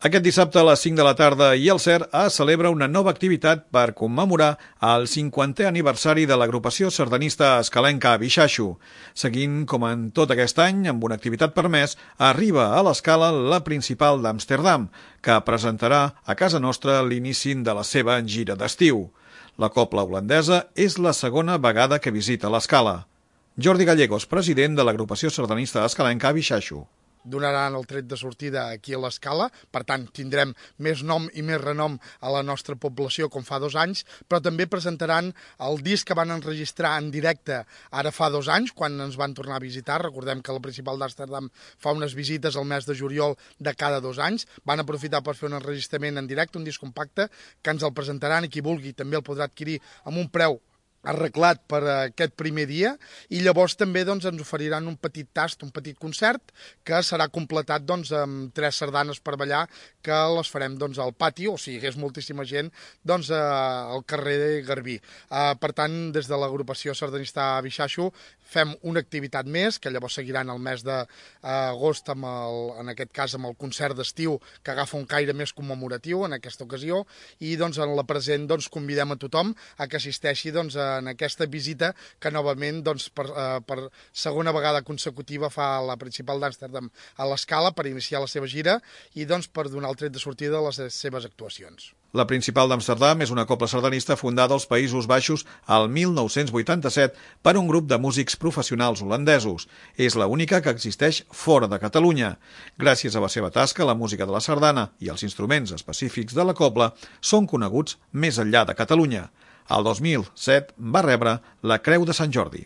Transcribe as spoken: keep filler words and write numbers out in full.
Aquest dissabte a les cinc de la tarda i el C E R es celebra una nova activitat per commemorar el cinquantè aniversari de l'agrupació sardanista escalenca a Bixaxo. Seguint com en tot aquest any, amb una activitat per mes, arriba a l'Escala la principal d'Amsterdam, que presentarà a casa nostra l'inici de la seva gira d'estiu. La cobla holandesa és la segona vegada que visita l'Escala. Jordi Gallegos, president de l'agrupació sardanista escalenca a Bixaxo. Donaran el tret de sortida aquí a l'Escala, per tant tindrem més nom i més renom a la nostra població com fa dos anys, però també presentaran el disc que van enregistrar en directe ara fa dos anys, quan ens van tornar a visitar. Recordem que la principal d'Amsterdam fa unes visites al mes de juliol de cada dos anys. Van aprofitar per fer un enregistrament en directe, un disc compacte, que ens el presentaran i qui vulgui també el podrà adquirir amb un preu arreglat per aquest primer dia, i llavors també doncs, ens oferiran un petit tast, un petit concert, que serà completat doncs, amb tres sardanes per ballar, que les farem doncs, al pati, o si hi hagués moltíssima gent, doncs, al carrer de Garbí. Uh, per tant, des de l'agrupació sardanista Bixaxo fem una activitat més, que llavors seguiran el mes d'agost, amb el, en aquest cas amb el concert d'estiu, que agafa un caire més commemoratiu en aquesta ocasió, i doncs, en la present doncs, convidem a tothom a que assisteixi doncs, a en aquesta visita que novament doncs, per, eh, per segona vegada consecutiva fa la principal d'Amsterdam a l'Escala per iniciar la seva gira i doncs, per donar el tret de sortida a les seves actuacions. La principal d'Amsterdam és una cobla sardanista fundada als Països Baixos al mil nou-cents vuitanta-set per un grup de músics professionals holandesos. És l'única que existeix fora de Catalunya. Gràcies a la seva tasca, la música de la sardana i els instruments específics de la cobla són coneguts més enllà de Catalunya. El dos mil set va rebre la Creu de Sant Jordi.